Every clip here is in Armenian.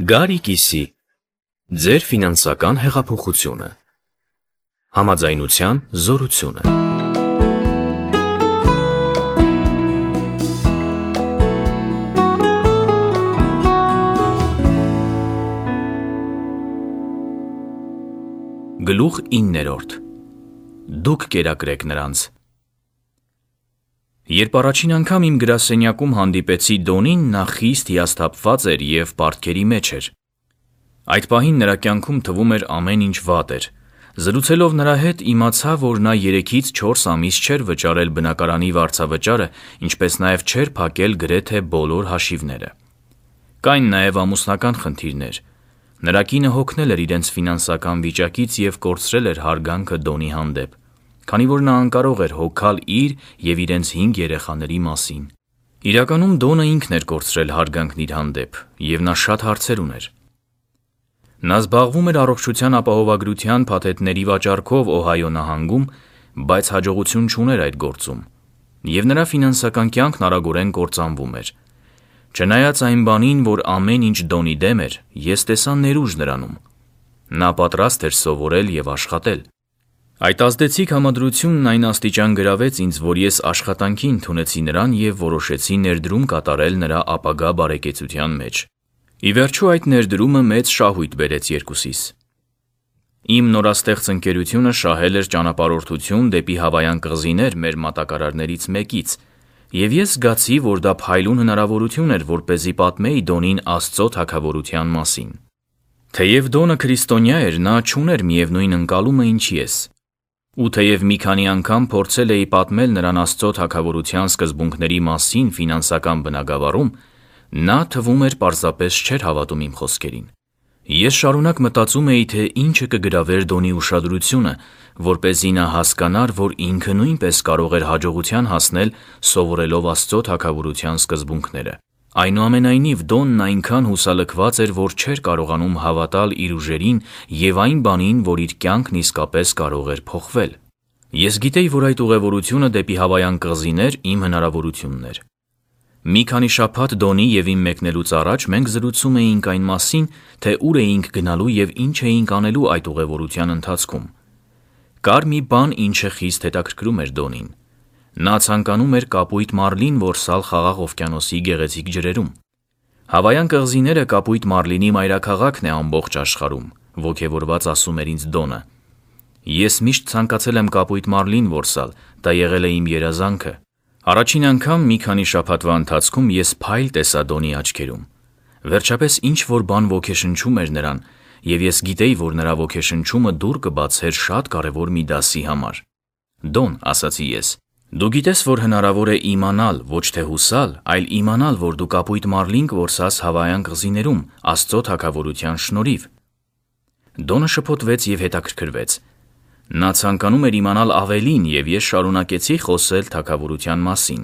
Գարիկիսի ձեր ֆինանսական հեղափոխությունը, համաձայնության զորությունը։ Գլուխ 9. Դուք կերակրեք նրանց։ Երբ առաջին անգամ իմ գրասենյակում հանդիպեցի Դոնին, նա խիստ հիասթափված էր և պարտքերի մեջ էր։ Այդ պահին նրա կյանքում թվում էր ամեն ինչ վատ էր։ Զրուցելով նրա հետ իմացա, որ նա 3-ից 4 ամիս չէր վճարել բնակարանի վարձավճարը, ինչպես նաև չէր փակել գրեթե բոլոր հաշիվները։ Կային նաև ամուսնական խնդիրներ։ Նրա կինը հոգնել էր իրենց ֆինանսական վիճակից և կորցրել էր հարգանքը Դոնի հանդեպ, քանի որ նա անկարող էր հոգալ իր և իրենց 5 երեխաների մասին։ Իրականում Դոնը ինքն էր կորցրել հարգանքն իր հանդեպ, և նա շատ հարցեր ուներ։ Նա զբաղվում էր առողջության ապահովագրության փաթեթների վաճառքով Օհայո նահանգում, բայց հաջողություն չուներ այդ գործում, և նրա ֆինանսական կյանքն արագորեն կործանվում էր։ Չնայած այն բանին, որ ամեն ինչ Դոնի դեմ էր, ես տեսա ներուժ նրանում։ Նա պատրաստ էր սովորել և աշխատել։ Այդ ազդեցիկ համադրությունն այն աստիճան գրավեց ինձ, որ ես աշխատանքի ընդունեցի նրան և որոշեցի ներդրում կատարել նրա ապագա բարեկեցության մեջ։ Ի վերջո այդ ներդրումը մեծ շահույթ բերեց երկուսիս։ Իմ նորաստեղծ ընկերությունը շահել էր ճանապարհորդություն դեպի Հավայան կղզիներ մեր մատակարարներից մեկից, և ես զգացի, որ դա փայլուն հնարավորություն էր, որպեսզի պատմեի Դոնին Աստծո թագավորության մասին։ Թեև Դոնը քրիստոնյա էր, նա չուներ միևնույն ընկալումը, ինչ ես։ Ու թեև մի քանի անգամ փորձել էի պատմել նրան Աստծո թագավորության սկզբունքների մասին ֆինանսական բնագավառում, նա թվում էր պարզապես չէր հավատում իմ խոսքերին։ Ես շարունակ մտածում էի, թե ինչը կգրավեր Դոնի ուշադրությունը, որպեսզի նա հասկանար, որ ինքը նույնպես կարող էր հաջողության հասնել սովորելով Աստծո թագավորության սկզբունքները։ Այնուամենայնիվ Դոնն այնքան հուսալքված էր, որ չէր կարողանում հավատալ իր ուժերին և այն բանին, որ իր կյանքն իսկապես կարող էր փոխվել։ Ես գիտեի, որ այդ ուղևորությունը դեպի Հավայան կղզիներ իմ հնարավորությունն էր։ Մի քանի շաբաթ Դոնի և իմ մեկնելուց առաջ մենք զրուցում էինք այն մասին, թե ուր էինք գնալու և ինչ էինք անելու այդ ուղևորության ընթացքում։ Կար մի բան, ինչը խիստ հետաքրքրում էր Դոնին։ Նա ցանկանում էր կապույտ մարլին որսալ Խաղաղ օվկիանոսի գեղեցիկ ջրերում։ Հավայան կղզիները կապույտ մարլինի մայրաքաղաքն է ամբողջ աշխարհում, ոգևորված ասում էր ինձ Դոնը։ Ես միշտ ցանկացել եմ կապույտ մարլին որսալ, դա եղել է իմ երազանքը։ Առաջին անգամ մի քանի շաբաթվա ընթացքում ես փայլ տեսա Դոնի աչքերում։ Վերջապես ինչ-որ բան ոգեշնչում էր նրան, և ես գիտեի, որ նրա ոգեշնչումը դուռ կբացեր շատ կարևոր մի դասի համար։ Դոն, ասացի ես, դու գիտես, որ հնարավոր է իմանալ, ոչ թե հուսալ, այլ իմանալ, որ դու կապույտ մարլին կորսաս Հավայան կղզիներում Աստծո թագավորության շնորհիվ։ Դոնը շփոթվեց և հետաքրքրվեց։ Նա ցանկանում էր իմանալ ավելին, և ես շարունակեցի խոսել թագավորության մասին։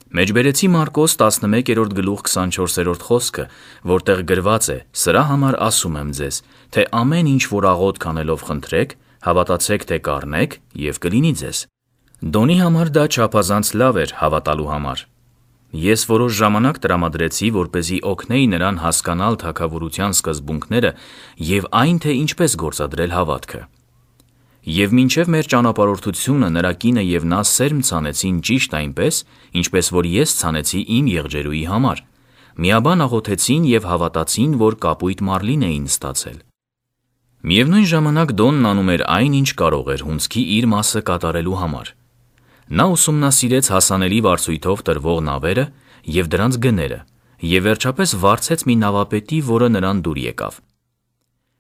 Մեջբերեցի Մարկոս 11:24 խոսքը, որտեղ գրված է. «Սրա համար ասում եմ ձեզ, թե ամեն ինչ, որ աղոթք անելով խնդրեք, հավատացեք, թե կառնեք, և կլինի ձեզ»։ Դոնի համար դա չափազանց լավ էր հավատալու համար։ Ես որոշ ժամանակ տրամադրեցի, որպեսզի օգնեի նրան հասկանալ թագավորության սկզբունքները և այն, թե ինչպես գործադրել հավատքը։ Եվ մինչև մեր ճանապարհորդությունը նրա կինը և նա սերմ ցանեցին ճիշտ այնպես, ինչպես որ ես ցանեցի իմ եղջերուի համար։ Միաբան աղոթեցին և հավատացին, որ կապույտ մարլին էին ստացել։ Միևնույն ժամանակ Դոնն անում էր այն, ինչ կարող էր հունձքի իր մասը կատարելու համար։ Նա ուսումնասիրեց հասանելի վարձույթով տրվող նավերը և դրանց գները, և վերջապես վարձեց մի նավապետի, որը նրան դուր եկավ։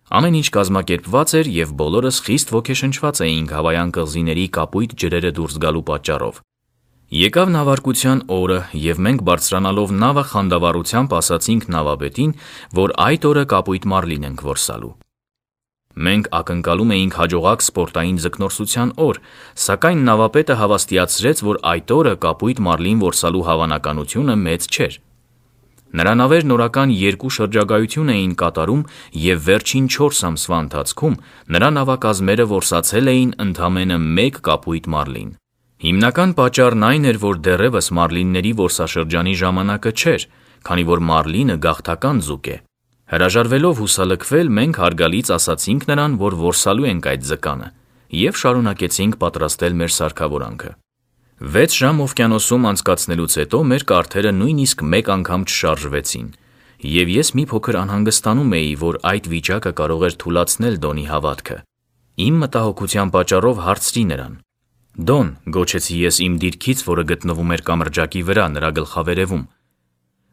Ամեն ինչ կազմակերպված էր, և բոլորս խիստ ոգեշնչված էինք Հավայան կղզիների կապույտ ջրերը դուրս գալու պատճառով։ Եկավ նավարկության օրը, և մենք բարձրանալով նավը խանդավառությամբ ասացինք նավապետին, որ այդ օրը կապույտ մարլին ենք որսալու։ Մենք ակնկալում էինք հաջողակ սպորտային ձկնորսության օր, սակայն նավապետը հավաստիացրեց, որ այդ օրը կապույտ մարլին որսալու հավանականությունը մեծ չէր։ Նրա նավերն օրական 2 շրջագայություն էին կատարում, և վերջին 4 ամսվա ընթացքում նրա նավակազմերը որսացել էին ընդամենը 1 կապույտ մարլին։ Հիմնական պատճառն այն էր, որ դեռևս մարլինների որսաշրջանի ժամանակը չէր, քանի որ մարլինը գաղթական ձուկ է։ Հրաժարվելով հուսալքվել, մենք հարգալից ասացինք նրան, որ որսալու ենք այդ ձկանը, և շարունակեցինք պատրաստել մեր սարքավորանքը։ 6 ժամ օվկիանոսում անցկացնելուց հետո մեր կարթերը նույնիսկ մեկ անգամ չշարժվեցին, և ես մի փոքր անհանգստանում էի, որ այդ վիճակը կարող էր թուլացնել Դոնի հավատքը։ Իմ մտահոգության պատճառով հարցրի նրան. «Դոն», գոչեցի ես իմ դիրքից, որը գտնվում էր կամրջակի վրա, նրա գլխավերևում,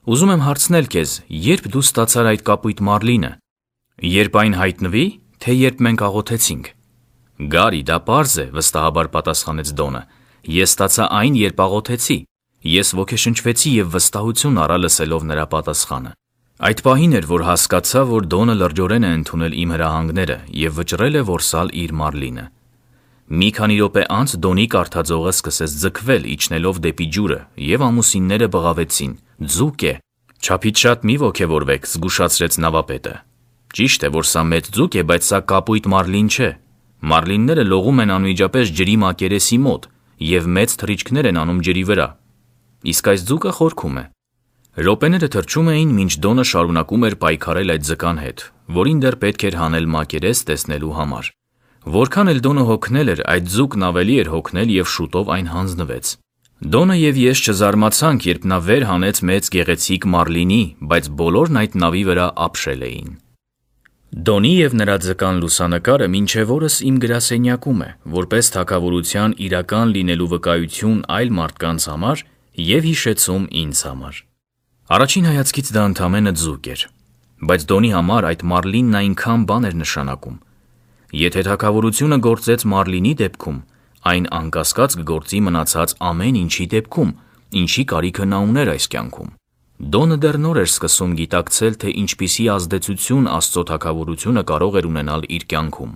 «ուզում եմ հարցնել քեզ, երբ դու ստացար այդ կապույտ մարլինը, երբ այն հայտնվի, թե երբ մենք աղոթեցինք»։ «Գարի, դա պարզ է», վստահաբար պատասխանեց Դոնը, «ես ստացա այն, երբ աղոթեցի»։ Ես ոգեշնչվեցի և վստահություն առա լսելով նրա պատասխանը։ Այդ պահին էր, որ հասկացա, որ Դոնը լրջորեն է ընդունել իմ հրահանգները և վճռել է որսալ իր մարլինը։ Մի քանի րոպե անց Դոնի կարթաձողը սկսեց ձգվել, իջնելով դեպի ջուրը, և ամուսինները բղավեցին. «Ձուկ է»։ «Չափից շատ մի ոգևորվեք», զգուշացրեց նավապետը։ «Ճիշտ է, որ սա մեծ ձուկ է, բայց սա կապույտ մարլին չէ։ Մարլինները լողում են անմիջապես ջրի մակերեսի մոտ և մեծ թռիչքներ են անում ջրի վրա։ Իսկ այս ձուկը խորքում է»։ Րոպեները թռչում էին, մինչ Դոնը շարունակում էր պայքարել այդ ձկան հետ, որին դեռ պետք էր հանել մակերես տեսնելու համար։ Որքան էլ Դոնը հոգնել էր, այդ ձուկն ավելի էր հոգնել և շուտով այն հանձնվեց։ Դոնը և ես չզարմացանք, երբ նա վեր հանեց մեծ գեղեցիկ մարլինի, բայց բոլորն այդ նավի վրա ապշել էին։ Դոնի և նրա ձկան լուսանկարը մինչև օրս իմ գրասենյակում է, որպես թագավորության իրական լինելու վկայություն այլ մարդկանց համար և հիշեցում ինձ համար։ Առաջին հայացքից դա ընդամենը ձուկ էր, բայց Դոնի համար այդ մարլինն այնքան բան էր նշանակում։ Եթե թագավորությունը գործեց մարլինի դեպքում, այն անկասկած կգործի մնացած ամեն ինչի դեպքում, ինչի կարիքը նա ուներ այս կյանքում։ Դոնը դեռ նոր էր սկսում գիտակցել, թե ինչպիսի ազդեցություն Աստծո թագավորությունը կարող էր ունենալ իր կյանքում։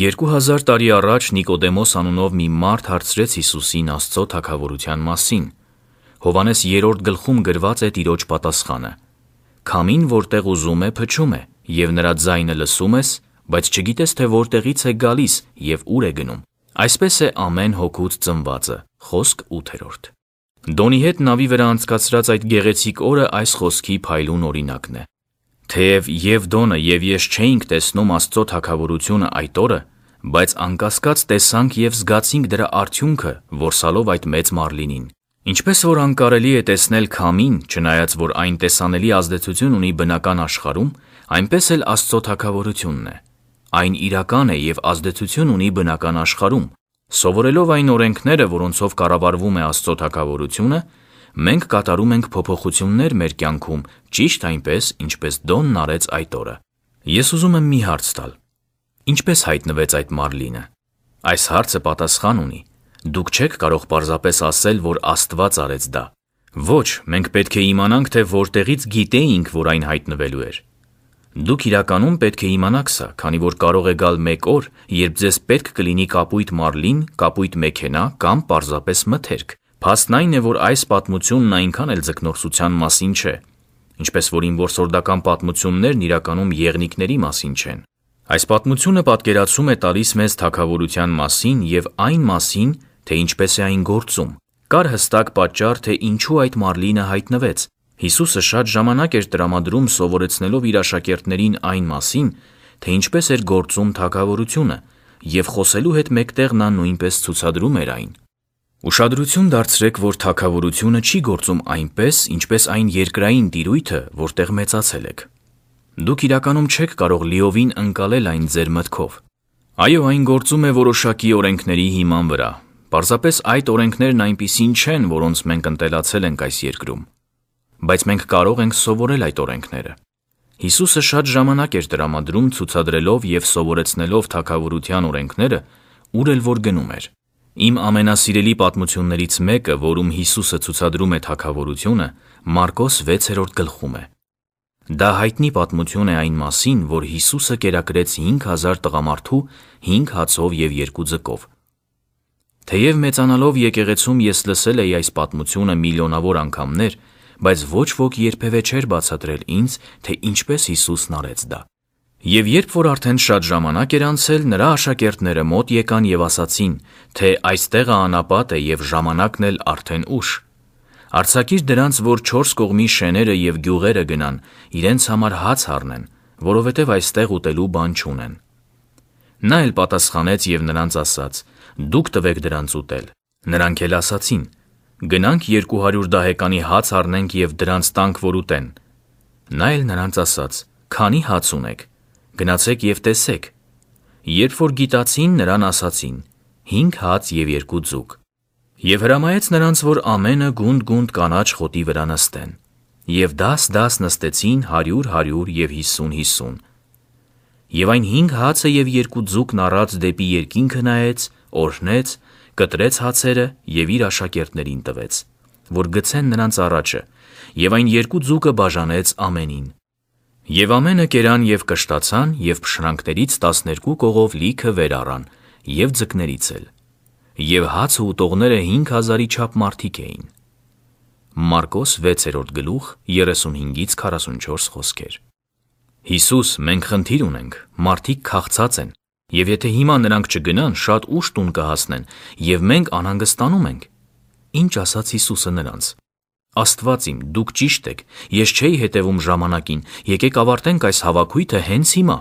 2000 տարի առաջ Նիկոդեմոս անունով մի մարդ հարցրեց Հիսուսին Աստծո թագավորության մասին։ Հովհաննես 3-րդ գլխում գրված է Տիրոջ պատասխանը. «Քամին որտեղ ուզում է, փչում է, և նրա ձայնը լսում ես, բայց չգիտես, թե որտեղից է գալիս և ուր է գնում։ Այսպես է ամեն հոգուց ծնվածը»։ Խոսք 8-րդ։ Դոնի հետ նավի վրա անցկացրած այդ գեղեցիկ օրը այս խոսքի փայլուն օրինակն է։ Թեև և Դոնը, և ես չէինք տեսնում Աստծո թագավորությունը այդ օրը, բայց անկասկած տեսանք և զգացինք դրա արդյունքը որսալով այդ մեծ մարլինին։ Ինչպես որ անկարելի է տեսնել քամին, չնայած որ այն տեսանելի ազդեցություն ունի բնական աշխարհում, այնպես էլ Աստծո թագավորությունն է։ Այն իրական է և ազդեցություն ունի բնական աշխարհում։ Սովորելով այն օրենքները, որոնցով կառավարվում է Աստծո թագավորությունը, մենք կատարում ենք փոփոխություններ մեր կյանքում ճիշտ այնպես, ինչպես Դոնն արեց այդ օրը։ Ես ուզում եմ մի հարց տալ. ինչպես հայտնվեց այդ մարլինը։ Այս հարցը պատասխան ունի։ Դուք չեք կարող պարզապես ասել, որ Աստված արեց դա։ Ոչ, մենք պետք է իմանանք, թե որտեղից գիտեինք, որ այն հայտնվելու էր։ Դուք իրականում պետք է իմանաք սա, քանի որ կարող է գալ մեկ օր, երբ ձեզ պետք կլինի կապույտ մարլին, կապույտ մեքենա կամ պարզապես մթերք։ Փաստն այն է, որ այս պատմությունն այնքան էլ ձկնորսության մասին չէ, ինչպես որ իմ որսորդական պատմություններն իրականում եղնիկների մասին չեն։ Այս պատմությունը պատկերացում է տալիս մեզ թագավորության մասին և այն մասին, թե ինչպես է այն գործում։ Կար հստակ պատճառ, թե ինչու այդ մարլինը հայտնվեց։ Հիսուսը շատ ժամանակ էր տրամադրում սովորեցնելով իր աշակերտներին այն մասին, թե ինչպես էր գործում թագավորությունը, և խոսելու հետ մեկտեղ նա նույնպես ցուցադրում էր այն։ Ուշադրություն դարձրեք, որ թագավորությունը չի գործում այնպես, ինչպես այն երկրային տիրույթը, որտեղ մեծացել եք։ Դուք իրականում չեք կարող լիովին ընկալել այն ձեր մտքով։ Այո, այն գործում է որոշակի օրենքների հիման վրա։ Պարզապես այդ օրենքներն այնպիսին չեն, որոնց մենք ընտելացել ենք այս երկրում։ Բայց մենք կարող ենք սովորել այդ օրենքները։ Հիսուսը շատ ժամանակ էր տրամադրում ցուցադրելով և սովորեցնելով թագավորության օրենքները, ուր էլ որ գնում էր։ Իմ ամենասիրելի պատմություններից մեկը, որում Հիսուսը ցուցադրում է թագավորությունը, Մարկոս 6-րդ գլխում է։ Դա հայտնի պատմություն է այն մասին, որ Հիսուսը կերակրեց 5000 տղամարդու 5 հացով և 2 ձկով։ Թեև մեծանալով եկեղեցում ես լսել էի այս պատմությունը միլիոնավոր անգամներ, բայց ոչ ոք երբևէ չէր բացատրել ինձ, թե ինչպես Հիսուսն արեց դա։ Եվ երբ որ արդեն շատ ժամանակ էր անցել, նրա աշակերտները մոտ եկան և ասացին, թե այս տեղը անապատ է և ժամանակն էլ արդեն ուշ։ Արձակիր դրանց, որ 4 կողմի շեները և գյուղերը գնան, իրենց համար հաց առնեն, որովհետև այստեղ ուտելու բան չունեն։ Նա էլ պատասխանեց և նրանց ասաց. «Դուք տվեք դրանց ուտել»։ Նրանք էլ ասացին. «Գնանք 200 դահեկանի հաց առնենք և դրանց տանք, որ ուտեն»։ Նա էլ նրանց ասաց. «Քանի հաց ունեք, գնացեք և տեսեք»։ Երբ որ գիտացին, նրան ասացին. 5 հաց և 2 ձուկ։ Եվ հրամայեց նրանց, որ ամենը գունդ կանաչ խոտի վրա նստեն։ Եվ դաս նստեցին 100 և 50. Եվ այն 5 հացը և 2 ձուկն առած դեպի երկինքը նայեց, օրհնեց, կտրեց հացերը և իր աշակերտներին տվեց, որ գցեն նրանց առաջը, և այն 2 ձուկը բաժանեց ամենին։ Եվ ամենը կերան և կշտացան, և փշրանքներից 12 կողով լիքը վեր առան, և ձկներից էլ։ Եվ հացը ուտողները 5000-ի չափ մարդիկ էին։ Մարկոս 6:35-44 Հիսուս, մենք խնդիր ունենք, մարդիկ քաղցած են, և եթե հիմա նրանք չգնան, շատ ուշ տուն կհասնեն, և մենք անհանգստանում ենք։ Ինչ ասաց Հիսուսը նրանց. Աստված իմ, դուք ճիշտ եք, ես չէի հետևում ժամանակին, եկեք ավարտենք այս հավաքույթը հենց հիմա։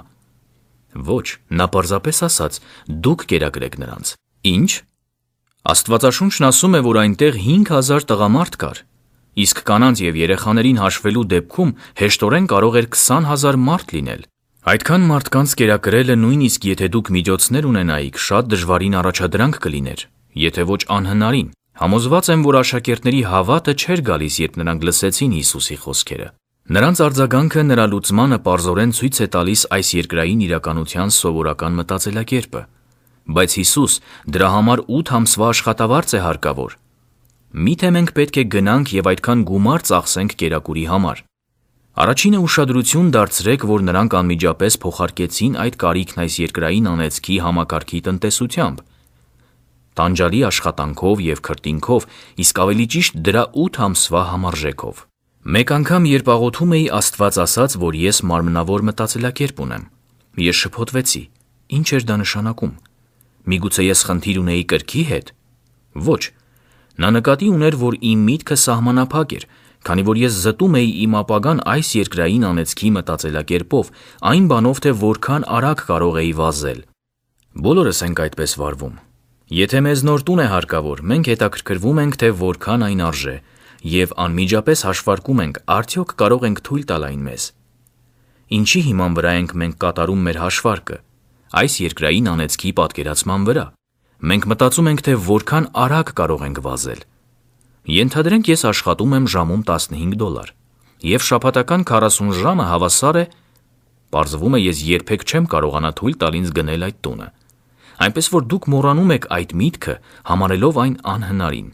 Ոչ, նա պարզապես ասաց, դուք կերակրեք նրանց։ Ինչ։ Աստվածաշունչն ասում է, որ այնտեղ 5000 տղամարդ կար, իսկ կանանց և երեխաներին հաշվելու դեպքում հեշտորեն կարող էր 20000 մարդ լինել։ Այդքան մարդկանց կերակրելը, նույնիսկ եթե դուք միջոցներ ունենայիք, շատ դժվարին առաջադրանք կլիներ, եթե ոչ անհնարին։ Համոզված եմ, որ աշակերտների հավատը չէր գալիս, երբ նրանք լսեցին Հիսուսի խոսքերը։ Նրանց արձագանքը նրա լուծմանը պարզորեն ցույց է տալիս այս երկրային իրականության սովորական մտածելակերպը։ Բայց Հիսուս դրա համար 8 ամսվա աշխատավարձ է հարկավոր։ Միթե մենք պետք է գնանք և այդքան գումար ծախսենք կերակուրի համար։ Առաջինը ուշադրություն դարձրեք, որ նրանք անմիջապես փոխարկեցին այդ կարիքն այս երկրային անեծքի համակարգի տնտեսությամբ, տանջալի աշխատանքով և քրտինքով, իսկ ավելի ճիշտ դրա 8 ամսվա համարժեքով։ Մեկ անգամ, երբ աղոթում էի, Աստված ասաց, որ ես մարմնավոր մտածելակերպ ունեմ։ Ես շփոթվեցի։ Ինչ էր դա նշանակում։ Միգուցե ես խնդիր ունեի կրքի հետ։ Ոչ։ Նա նկատի ուներ, որ իմ միտքը սահմանափակ էր, քանի որ ես զտում էի իմ ապագան այս երկրային անեծքի մտածելակերպով, այն բանով, թե որքան արագ կարող էի վազել։ Բոլորս ենք այդպես վարվում։ Եթե մեզ նոր տուն է հարկավոր, մենք հետաքրքրվում ենք, թե որքան այն արժե, և անմիջապես հաշվարկում ենք, արդյոք կարող ենք թույլ տալ այն մեզ։ Ինչի հիման վրա ենք մենք կատարում մեր հաշվարկը։ Այս երկրային անեծքի պատկերացման վրա։ Մենք մտածում ենք, թե որքան արագ կարող ենք վազել։ Ենթադրենք ես աշխատում եմ ժամում $15, և շաբաթական 40 ժամը հավասար է, պարզվում է ես երբեք չեմ կարողանա թույլ տալ ինձ գնել այդ տունը։ Այնպես որ դուք մոռանում եք այդ միտքը, համարելով այն անհնարին։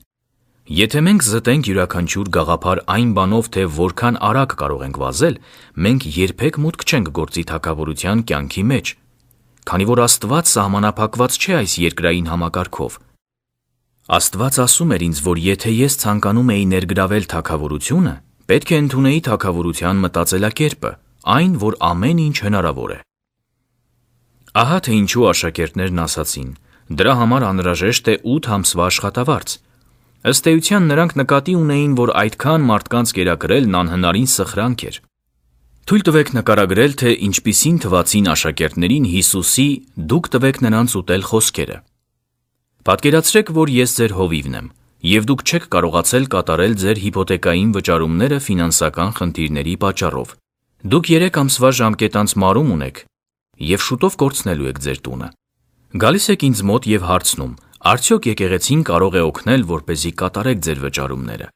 Եթե մենք զտենք յուրաքանչյուր գաղափար այն բանով, թե որքան արագ կարող ենք վազել, մենք երբեք մուտք չենք գործի թագավորության կյանքի մեջ, քանի որ Աստված սահմանափակված չէ այս երկրային համակարգով։ Աստված ասում էր ինձ, որ եթե ես ցանկանում էի ներգրավել թագավորությունը, պետք է ընդունեի թագավորության մտածելակերպը, այն, որ ամեն ինչ հնարավոր է։ Ահա թե ինչու աշակերտներն ասացին. դրա համար անհրաժեշտ է 8 ամսվա աշխատավարձ։ Ըստ էության նրանք նկատի ունեին, որ այդքան մարդկանց կերակրելն անհնարին սխրանք էր։ Թույլ տվեք նկարագրել, թե ինչպիսին թվացին աշակերտներին Հիսուսի «Դուք տվեք նրանց ուտել» խոսքերը։ Պատկերացրեք, որ ես ձեր հովիվն եմ, և դուք չեք կարողացել կատարել ձեր հիփոթեկային վճարումները ֆինանսական խնդիրների պատճառով։ Դուք 3 ամսվա ժամկետանց մարում ունեք և շուտով կորցնելու եք ձեր տունը։ Գալիս եք ինձ մոտ և հարցնում. արդյոք եկեղեցին կարող է օգնել, որպեսզի կատարեք ձեր վճարումները։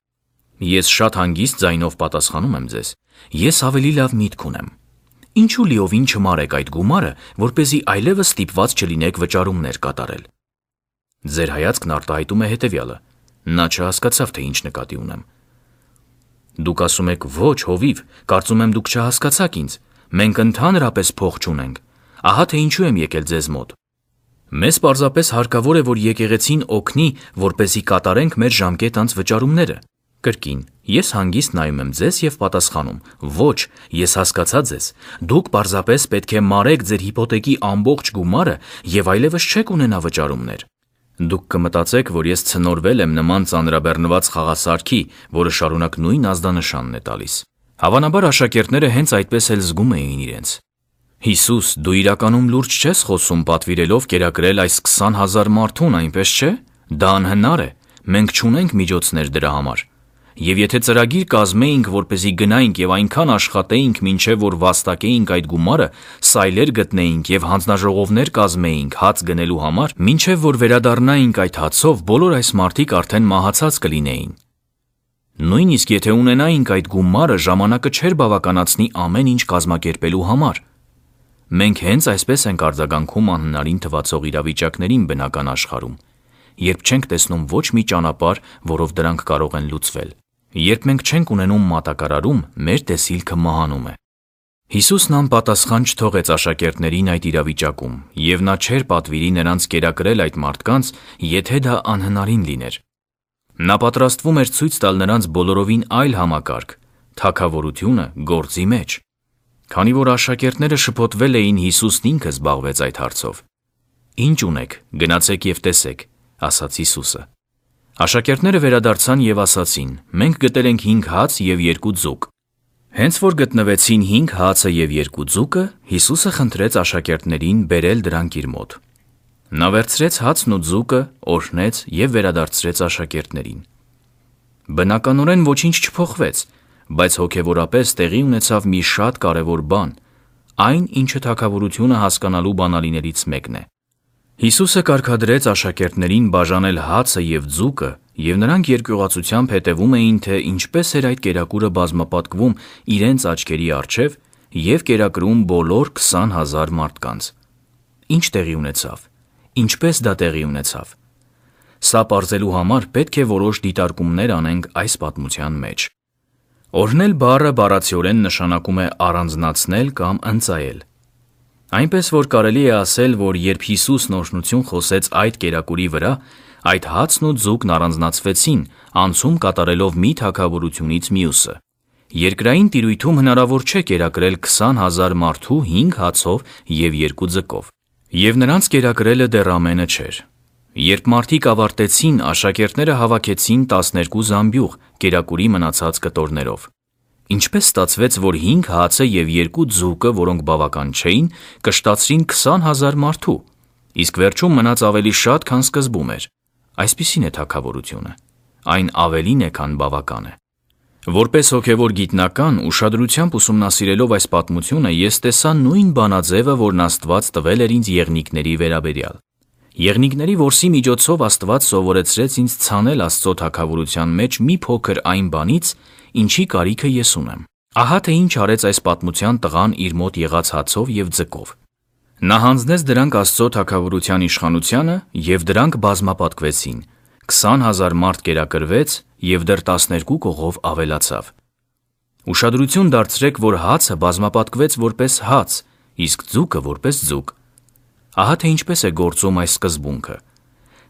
Ես շատ հանգիստ ձայնով պատասխանում եմ ձեզ. ես ավելի լավ միտք ունեմ։ Ինչու լիովին չմարեք այդ գումարը, որպեսզի այլևս ստիպված չլինեք վճարումներ կատարել։ Ձեր հայացքն արտահայտում է հետևյալը. նա չհասկացավ, թե ինչ նկատի ունեմ։ Դուք ասում եք. ոչ, հովիվ, կարծում եմ դուք չհասկացաք ինձ, մենք ընդհանրապես փող չունենք, ահա թե ինչու եմ եկել ձեզ մոտ։ Մեզ պարզապես հարկավոր է, որ եկեղեցին օգնի, որպեսզի կատարենք մեր ժամկետ անց վճարումները։ Կրկին, ես հանգիստ նայում եմ ձեզ և պատասխանում. ոչ, ես հասկացա ձեզ, դուք պարզապես պետք է մարեք ձեր հիփոթեկի ամբողջ գումարը և այլևս չեք ունենա վճարումներ։ Դուք կմտածեք, որ ես ցնորվել եմ նման ծանրաբեռնված խաղասարքի, որը շարունակ նույն ազդանշանն է տալիս։ Հավանաբար աշակերտները հենց այդպես էլ զգում էին իրենց։ Հիսուս, դու իրականում լուրջ չես խոսում պատվիրելով կերակրել այս 20,000 մարդուն, այնպես չէ։ Դա անհնար է, մենք չունենք միջոցներ դրա համար։ Եվ եթե ծրագիր կազմեինք, որպեսզի գնայինք եւ այնքան աշխատեինք, մինչեւ որ վաստակեինք այդ գումարը, սայլեր գտնեինք եւ հանձնաժողովներ կազմեինք հաց գնելու համար, մինչեւ որ վերադառնայինք այդ հացով, բոլոր այս մարդիկ արդեն մահացած կլինեին։ Նույնիսկ եթե ունենայինք այդ գումարը, ժամանակը չէր բավականացնի ամեն ինչ կազմակերպելու համար։ Մենք հենց այսպես ենք արձագանքում անհնարին թվացող իրավիճակներին բնական աշխարհում, երբ չենք տեսնում ոչ մի ճանապարհ, որով դրանք կարող են լուծվել։ Երբ մենք չենք ունենում մատակարարում, մեր տեսիլքը մահանում է։ Հիսուսն անպատասխան չթողեց աշակերտներին այդ իրավիճակում, եւ նա չէր պատվիրի նրանց կերակրել այդ մարդկանց, եթե դա անհնարին լիներ։ Նա պատրաստվում էր ցույց տալ նրանց բոլորովին այլ համակարգ, թագավորությունը գործի մեջ։ Քանի որ աշակերտները շփոթվել էին, Հիսուսն ինքը զբաղվեց այդ հարցով։ «Ինչ ունեք, գնացեք եւ տեսեք», ասաց Հիսուսը։ Աշակերտները վերադարձան եւ ասացին. «Մենք գտել ենք 5 հաց եւ 2 ձուկ»։ Հենց որ գտնվեցին 5 հացը եւ 2 ձուկը, Հիսուսը խնդրեց աշակերտներին բերել դրանք իր մոտ։ Նա վերցրեց հացն ու ձուկը, օրհնեց եւ վերադարձրեց աշակերտներին։ Բնականորեն ոչինչ չփոխվեց, բայց հոգեվորապես տեղի ունեցավ մի շատ կարևոր բան, այն, ինչը թագավորությունը հասկանալու բանալիներից մեկն է։ Հիսուսը կարգադրեց աշակերտներին բաժանել հացը եւ ձուկը, եւ նրանք երկյուղացությամբ հետևում էին, թե ինչպես էր այդ կերակուրը բազմապատկվում իրենց աչքերի առջև եւ կերակրում բոլոր 20,000 մարդկանց։ Ինչ տեղի ունեցավ։ Ինչպես դա տեղի ունեցավ։ Սա պարզելու համար պետք է որոշ դիտարկումներ անենք այս պատմության մեջ։ Օրհնել բառը բառացիորեն նշանակում է առանձնացնել կամ ընծայել։ Այնպես որ կարելի է ասել, որ երբ Հիսուսն օրհնություն խոսեց այդ կերակուրի վրա, այդ հացն ու ձուկն առանձնացվեցին, անցում կատարելով մի թագավորությունից մյուսը։ Երկրային տիրույթում հնարավոր չէ կերակրել 20,000 մարդու 5 հացով եւ 2 ձկով։ Եվ նրանց կերակրելը դեռ ամենը չէր։ Երբ մարդիկ ավարտեցին, աշակերտները հավաքեցին 12 զամբյուղ կերակուրի մնացած կտորներով։ Ինչպես ստացվեց, որ 5 հացը եւ 2 ձուկը, որոնք բավական չէին, կշտացրին 20,000 մարդու, իսկ վերջում մնաց ավելի շատ, քան սկզբում էր։ Այսպիսին է թագավորությունը։ Այն ավելին է, քան բավական է։ Որպես հոգևոր գիտնական, ուշադրությամբ ուսումնասիրելով այս պատմությունը, ես տեսա նույն բանաձևը, որն Աստված տվել էր ինձ եղնիկների վերաբերյալ։ Եղնիկների որսի միջոցով Աստված սովորեցրեց ինձ ցանել Աստծո թագավորության մեջ մի փոքր այն բանից, ինչի կարիքը ես ունեմ։ Ահա թե ինչ արեց այս պատմության տղան իր մոտ եղած հացով եւ ձկով։ Նա հանձնեց դրանք Աստծո թագավորության իշխանությանը եւ դրանք բազմապատկվեցին։ 20,000 մարդ կերակրվեց եւ դեռ 12 կողով ավելացավ։ Ուշադրություն դարձրեք, որ հացը բազմապատկվեց որպես հաց, իսկ ձուկը որպես ձուկ։ Ահա թե ինչպես է գործում այս սկզբունքը։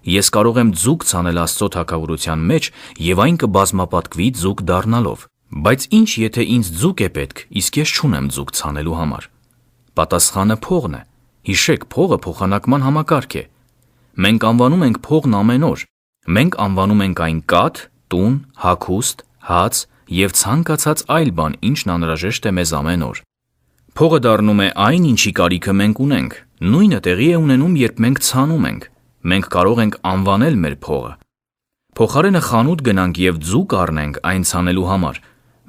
Ես կարող եմ ձուկ ցանել Աստծո թագավորության մեջ եւ այն կբազմապատկվի ձուկ դառնալով։ Բայց ինչ եթե ինձ ձուկ է պետք, իսկ ես չունեմ ձուկ ցանելու համար։ Պատասխանը փողն է։ Հիշեք, փողը փոխանակման համակարգ է։ Մենք անվանում ենք փողն ամեն օր։ Մենք անվանում ենք այն կաթ, տուն, հագուստ, հաց եւ ցանկացած այլ բան, ինչն անհրաժեշտ է մեզ ամեն օր։ Փողը դառնում է այն, ինչի կարիքը մենք ունենք։ Նույնը տեղի է ունենում, երբ մենք ցանում ենք։ Մենք կարող ենք անվանել մեր փողը։ Փոխարենը խանութ գնանք եւ ձուկ առնենք այն ցանելու համար։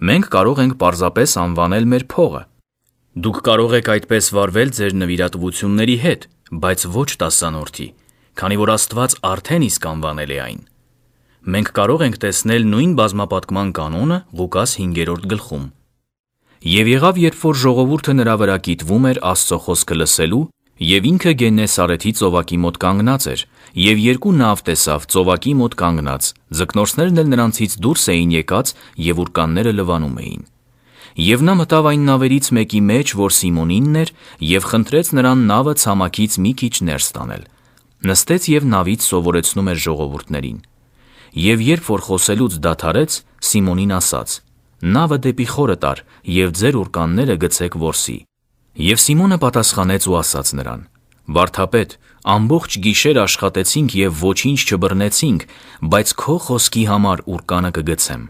Մենք կարող ենք պարզապես անվանել մեր փողը։ Դուք կարող եք այդպես վարվել ձեր նվիրատվությունների հետ, բայց ոչ տասանորդի, քանի որ Աստված արդեն իսկ անվանել է այն։ Մենք կարող ենք տեսնել նույն բազմապատկման կանոնը Ղուկաս 5-րդ գլխում։ Եվ եղավ, երբ որ ժողովուրդը նրա վրա կիտվում էր Աստծո խոսքը լսելու, եւ ինքը Գեննեսարեթի ծովակի մոտ կանգնած էր, եւ 2 նավ տեսավ ծովակի մոտ կանգնած, ձկնորսներն էլ նրանցից դուրս էին եկած եւ ուրկանները լվանում էին։ Եվ նա մտավ այն նավերից մեկի մեջ, որ Սիմոնինն էր, եւ խնդրեց նրան նավը ցամաքից մի քիչ ներս տանել։ Նստեց եւ նավից սովորեցնում էր ժողովուրդներին։ Եվ երբ որ խոսելուց դադարեց, Սիմոնին ասաց. «Նավը դեպի խորը տար եւ ձեր ուրկանները գցեք որսի»։ Եվ Սիմոնը պատասխանեց ու ասաց նրան. «Վարդապետ, Ամբողջ գիշեր աշխատեցինք և ոչինչ չբռնեցինք, բայց քո խոսքի համար ուռկանը կգցեմ։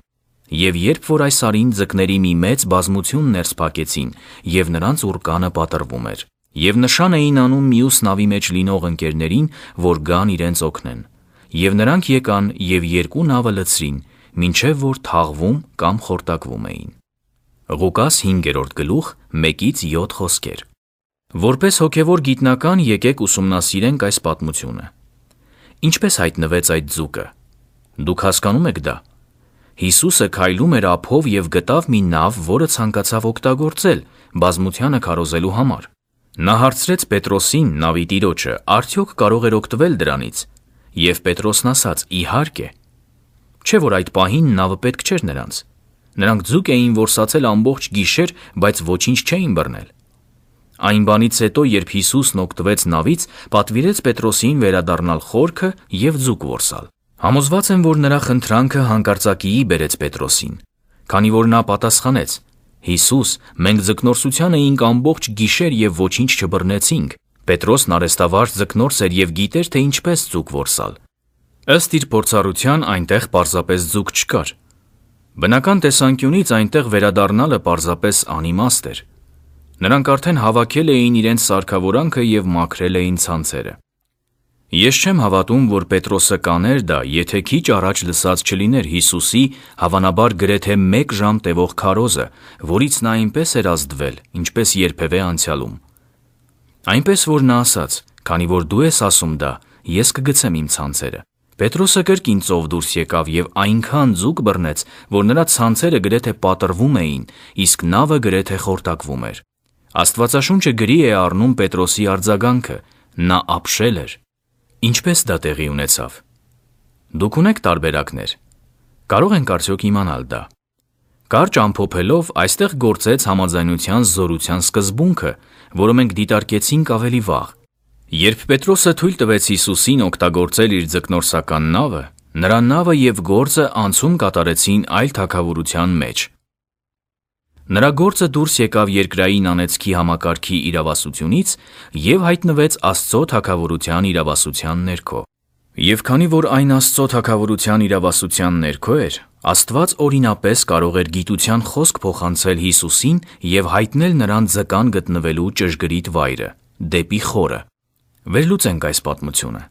Եվ երբ որ այս արին ձկների մի մեծ բազմություն ներս փակեցին, և նրանց ուռկանը պատռվում էր, և նշան էին անում մյուս նավի մեջ լինող ընկերներին, որ գան իրենց օգնեն։ Եվ նրանք եկան և երկու նավը լցրին, մինչև որ թաղվում կամ խորտակվում էին։ Ղուկաս 5:1-7 խոսքեր։ Որպես հոգևոր գիտնական եկեք ուսումնասիրենք այս պատմությունը։ Ինչպես հայտնվեց այդ ձուկը։ Դուք հասկանում եք դա։ Հիսուսը քայլում էր ափով և գտավ մի նավ, որը ցանկացավ օգտագործել բազմությանը քարոզելու համար։ Նա հարցրեց Պետրոսին, նավի տիրոջը, արդյոք կարող էր օգտվել դրանից։ Եվ Պետրոսն ասաց. իհարկե։ Չէ՞ որ այդ պահին նավը պետք չէր նրանց։ Նրանք ձուկ էին որսացել ամբողջ գիշեր, բայց ոչինչ չէին բռնել։ Այն բանից հետո, երբ Հիսուսն օգտվեց նավից, պատվիրեց Պետրոսին վերադառնալ խորքը և ձուկ որսալ։ Համոզված եմ, որ նրա խնդրանքը հանկարծակիի բերեց Պետրոսին, քանի որ նա պատասխանեց. «Հիսուս, մենք ձկնորսության էինք ամբողջ գիշեր և ոչինչ չբռնեցինք»։ Պետրոսն արհեստավարժ ձկնորս էր և գիտեր, թե ինչպես ձուկ որսալ։ Ըստ իր փորձառության այնտեղ պարզապես ձուկ չկար։ Բնական տեսանկյունից այնտեղ վերադառնալը պարզապես անիմաստ էր։ Նրանք արդեն հավաքել էին իրենց սարքավորանքը և մաքրել էին ցանցերը։ Ես չեմ հավատում, որ Պետրոսը կաներ դա, եթե քիչ առաջ լսած չլիներ Հիսուսի հավանաբար գրեթե 1 ժամ տևող քարոզը, որից նա այնպես էր ազդվել, ինչպես երբևէ անցյալում։ Այնպես որ նա ասաց. «Քանի որ դու ես ասում դա, ես կգցեմ իմ ցանցերը»։ Պետրոսը կրկին ծով դուրս եկավ և այնքան ձուկ բռնեց, որ նրա ցանցերը գրեթե պատռվում էին, իսկ նավը գրեթե խորտակվում էր։ Աստվածաշունչը գրի է առնում Պետրոսի արձագանքը. նա ապշել էր։ Ինչպես դա տեղի ունեցավ։ Դուք ունեք տարբերակներ։ Կարող ենք արդյոք իմանալ դա։ Կարճ ամփոփելով, այստեղ գործեց համաձայնության զորության սկզբունքը, որը մենք դիտարկեցինք ավելի վաղ։ Երբ Պետրոսը թույլ տվեց Հիսուսին օգտագործել իր ձկնորսական նավը, նրա նավը և գործը անցում կատարեցին այլ թագավորության մեջ։ Նրա գործը դուրս եկավ երկրային անեծքի համակարգի իրավասությունից և հայտնվեց Աստծո թագավորության իրավասության ներքո։ Եվ քանի որ այն Աստծո թագավորության իրավասության ներքո էր, Աստված օրինապես կարող էր գիտության խոսք փոխանցել Հիսուսին և հայտնել նրան ձկան գտնվելու ճշգրիտ վայրը՝ դեպի խորը։ Վերլուծենք այս պատմությունը։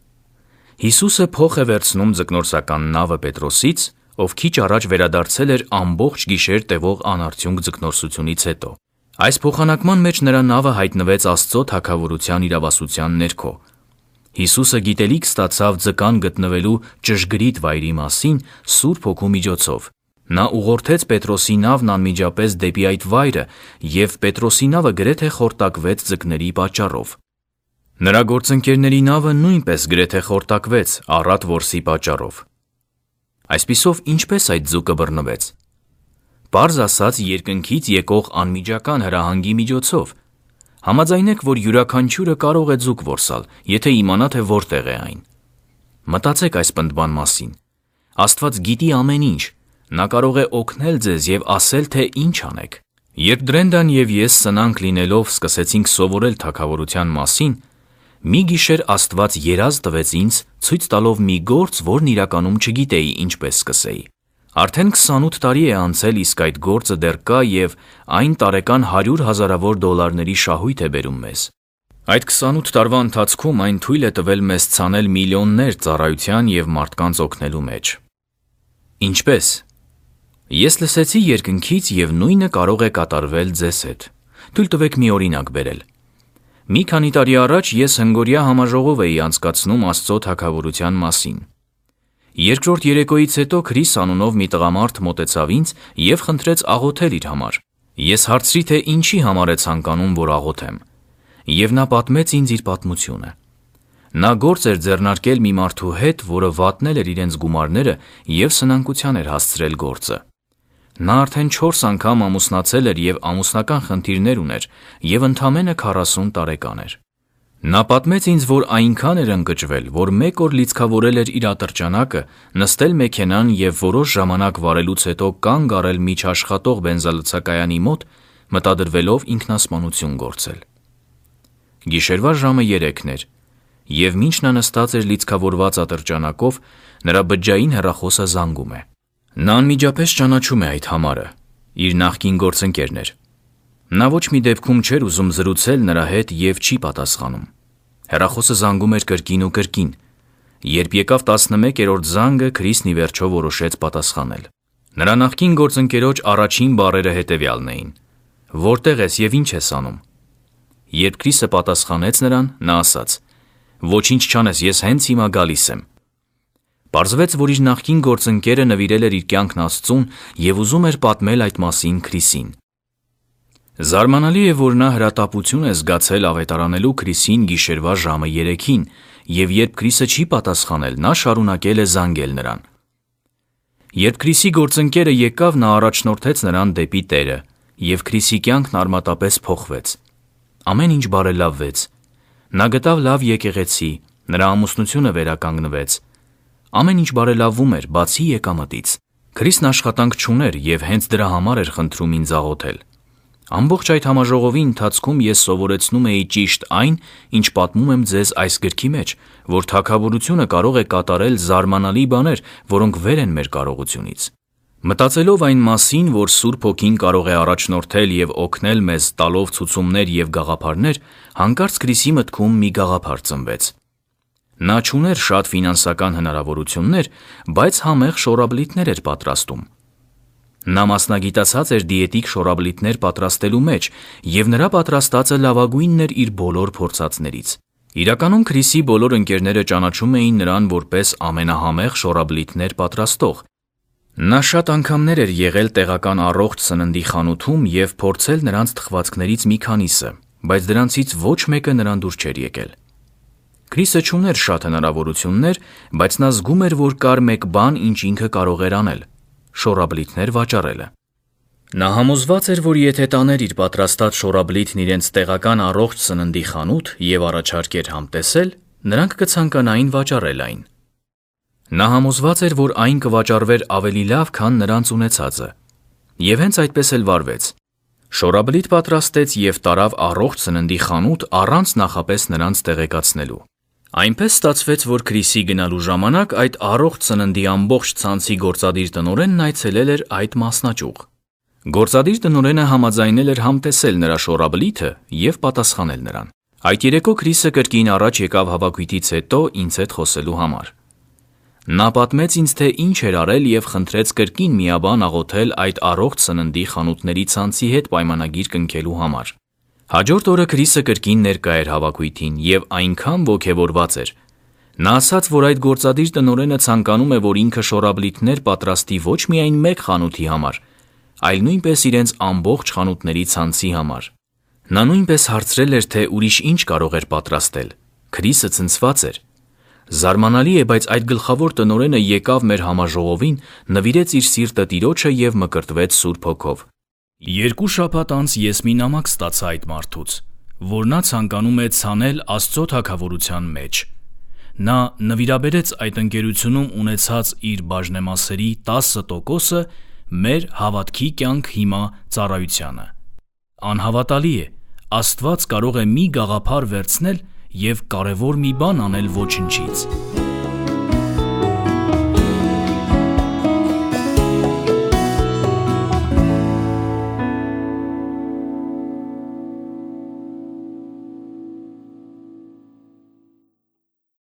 Հիսուսը փոխ է վերցնում ձկնորսական նավը Պետրոսից, ով քիչ առաջ վերադարձել էր ամբողջ գիշեր տևող անարդյունք ձկնորսությունից հետո։ Այս փոխանակման մեջ նրա նավը հայտնվեց Աստծո թագավորության իրավասության ներքո։ Հիսուսը գիտելիք ստացավ ձկան գտնվելու ճշգրիտ վայրի մասին Սուրբ Հոգու միջոցով։ Նա ուղղորդեց Պետրոսի նավն անմիջապես դեպի այդ վայրը, և Պետրոսի նավը գրեթե խորտակվեց ձկների պատճառով։ Նրա գործընկերների նավը նույնպես գրեթե խորտակվեց առատ որսի պատճառով։ Այսպիսով, ինչպես այդ ձուկը բռնվեց։ Պարզ ասած, երկնքից եկող անմիջական հրահանգի միջոցով։ Համաձայնեք, որ յուրաքանչյուրը կարող է ձուկ որսալ, եթե իմանա, թե որտեղ է այն։ Մտածեք այս պնդման մասին։ Աստված գիտի ամեն ինչ։ Նա կարող է օգնել ձեզ և ասել, թե ինչ անեք։ Երբ Դրենդան և ես սնանկ լինելով սկսեցինք սովորել թագավորության մասին, մի գիշեր Աստված երազ տվեց ինձ, ցույց տալով մի գործ, որն իրականում չգիտեի ինչպես սկսեի։ Արդեն 28 տարի է անցել, իսկ այդ գործը դեռ կա և այն տարեկան 100 հազարավոր դոլարների շահույթ է բերում մեզ։ Այդ 28 տարվա ընթացքում այն թույլ է տվել մեզ ցանել միլիոններ ծառայության և մարդկանց օգնելու մեջ։ Ինչպե՞ս։ Ես լսեցի երկնքից և նույնը կարող է կատարվել ձեզ հետ։ Թույլ տվեք մի օրինակ բերել։ Մի քանի տարի առաջ ես հնգօրյա համաժողով էի անցկացնում Աստծո թագավորության մասին։ Երկրորդ երեկոյից հետո Քրիս անունով մի տղամարդ մոտեցավ ինձ և խնդրեց աղոթել իր համար։ Ես հարցրի, թե ինչի համար է ցանկանում, որ աղոթեմ։ Եվ նա պատմեց ինձ իր պատմությունը։ Նա գործ էր ձեռնարկել մի մարդու հետ, որը վատնել էր իրենց գումարները և սնանկության էր հասցրել գործը։ Նա արդեն 4 անգամ ամուսնացել էր և ամուսնական խնդիրներ ուներ և ընդամենը 40 տարեկան էր։ Նա պատմեց ինձ, որ այնքան էր ընկճվել, որ մեկ օր լիցքավորել էր իր ատրճանակը, նստել մեքենան և որոշ ժամանակ վարելուց հետո կանգ առել միջաշխատող բենզալցակայանի մոտ, մտադրվելով ինքնասպանություն գործել։ Գիշերվա ժամը 3-ն էր, և մինչ նա նստած էր լիցքավորված ատրճանակով, նրա բջջային հեռախոսը զանգում է։ Նա անմիջապես ճանաչում է այդ համարը, իր նախկին գործընկերն էր։ Նա ոչ մի դեպքում չէր ուզում զրուցել նրա հետ և չի պատասխանում։ Հեռախոսը զանգում էր կրկին ու կրկին։ Երբ եկավ 11-րդ զանգը, Քրիսն ի վերջո որոշեց պատասխանել։ Նրա նախկին գործընկերոջ առաջին բառերը հետևյալն էին. «Որտեղ ես և ինչ ես անում»։ Երբ Քրիսը պատասխանեց նրան, նա ասաց. «Ոչինչ չանես, ես հենց հիմա գալիս եմ»։ Պարզվեց, որ իր նախկին գործընկերը նվիրել էր իր կյանքն Աստծուն և ուզում էր պատմել այդ մասին Քրիսին։ Զարմանալի է, որ նա հրատապություն է զգացել ավետարանելու Քրիսին գիշերվա ժամը 3-ին, և երբ Քրիսը չի պատասխանել, նա շարունակել է զանգել նրան։ Երբ Քրիսի գործընկերը եկավ, նա առաջնորդեց նրան դեպի Տերը, և Քրիսի կյանքն արմատապես փոխվեց։ Ամեն ինչ բարելավվեց։ Նա գտավ լավ եկեղեցի, նրա ամուսնությունը վերականգնվեց։ Ամեն ինչ բարելավվում էր, բացի եկամտից։ Քրիսն աշխատանք չուներ և հենց դրա համար էր խնդրում ինձ աղոթել։ Ամբողջ այդ համաժողովի ընթացքում ես սովորեցնում էի ճիշտ այն, ինչ պատմում եմ ձեզ այս գրքի մեջ, որ թագավորությունը կարող է կատարել զարմանալի բաներ, որոնք վեր են մեր կարողությունից։ Մտածելով այն մասին, որ Սուրբ Հոգին կարող է առաջնորդել և օգնել մեզ տալով ցուցումներ և գաղափարներ, հանկարծ Քրիսի մտքում մի գաղափար ծնվեց։ Նա չուներ շատ ֆինանսական հնարավորություններ, բայց համեղ շորաբլիթներ էր պատրաստում։ Նա մասնագիտացած էր դիետիկ շորաբլիթներ պատրաստելու մեջ, և նրա պատրաստածը լավագույնն էր իր բոլոր փորձածներից։ Իրականում Քրիսի բոլոր ընկերները ճանաչում էին նրան որպես ամենահամեղ շորաբլիթներ պատրաստող։ Նա շատ անգամներ էր եղել տեղական առողջ սննդի խանութում և փորձել նրանց թխվածքներից մի քանիսը, բայց դրանցից ոչ մեկը նրան դուր չէր եկել։ Քրիսը չուներ շատ հնարավորություններ, բայց նա զգում էր, որ կար մեկ բան, ինչ ինքը կարող էր անել՝ շորաբլիթներ վաճառելը։ Նա համոզված էր, որ եթե տաներ իր պատրաստած շորաբլիթն իրենց տեղական առողջ սննդի խանութ և առաջարկեր համտեսել, նրանք կցանկանային վաճառել այն։ Նա համոզված էր, որ այն կվաճառվեր ավելի լավ, քան նրանց ունեցածը։ Եվ հենց այդպես էլ վարվեց։ Շորաբլիթ պատրաստեց և տարավ առողջ սննդի խանութ առանց նախապես նրանց տեղեկացնելու։ Այնպես ստացվեց, որ Քրիսի գնալու ժամանակ այդ առողջ սննդի ամբողջ ցանցի գործադիր տնօրենն այցելել էր այդ մասնաճյուղ։ Գործադիր տնօրենը համաձայնել էր համտեսել նրա շորաբլիթը և պատասխանել նրան։ Այդ երեկո Քրիսը կրկին առաջ եկավ հավաքույթից հետո ինձ հետ խոսելու համար։ Նա պատմեց ինձ, թե ինչ էր արել և խնդրեց կրկին միաբան աղոթել այդ առողջ սննդի խանութների ցանցի հետ պայմանագիր կնքելու համար։ Հաջորդ օրը Քրիսը կրկին ներկա էր հավաքույթին և այնքան ոգևորված էր։ Նա ասաց, որ այդ գործադիր տնօրենը ցանկանում է, որ ինքը շորաբլիթներ պատրաստի ոչ միայն մեկ խանութի համար, այլ նույնպես իրենց ամբողջ խանութների ցանցի համար։ Նա նույնպես հարցրել էր, թե ուրիշ ինչ կարող էր պատրաստել։ Քրիսը ցնցված էր։ Զարմանալի է, բայց այդ գլխավոր տնօրենը եկավ մեր համաժողովին, նվիրեց իր սիրտը Տիրոջը և մկրտվեց Սուրբ Հոգով։ 2 շաբաթ անց ես մի նամակ ստացա այդ մարդուց, որ նա ցանկանում է ցանել Աստծո թագավորության մեջ։ Նա նվիրաբերեց այդ ընկերությունում ունեցած իր բաժնեմասերի 10%-ը մեր հավատքի կյանք հիմա ծառայությանը։ Անհավատալի է, Աստված կարող է մի գաղափար վերցնել և կարևոր մի բան անել ոչնչից։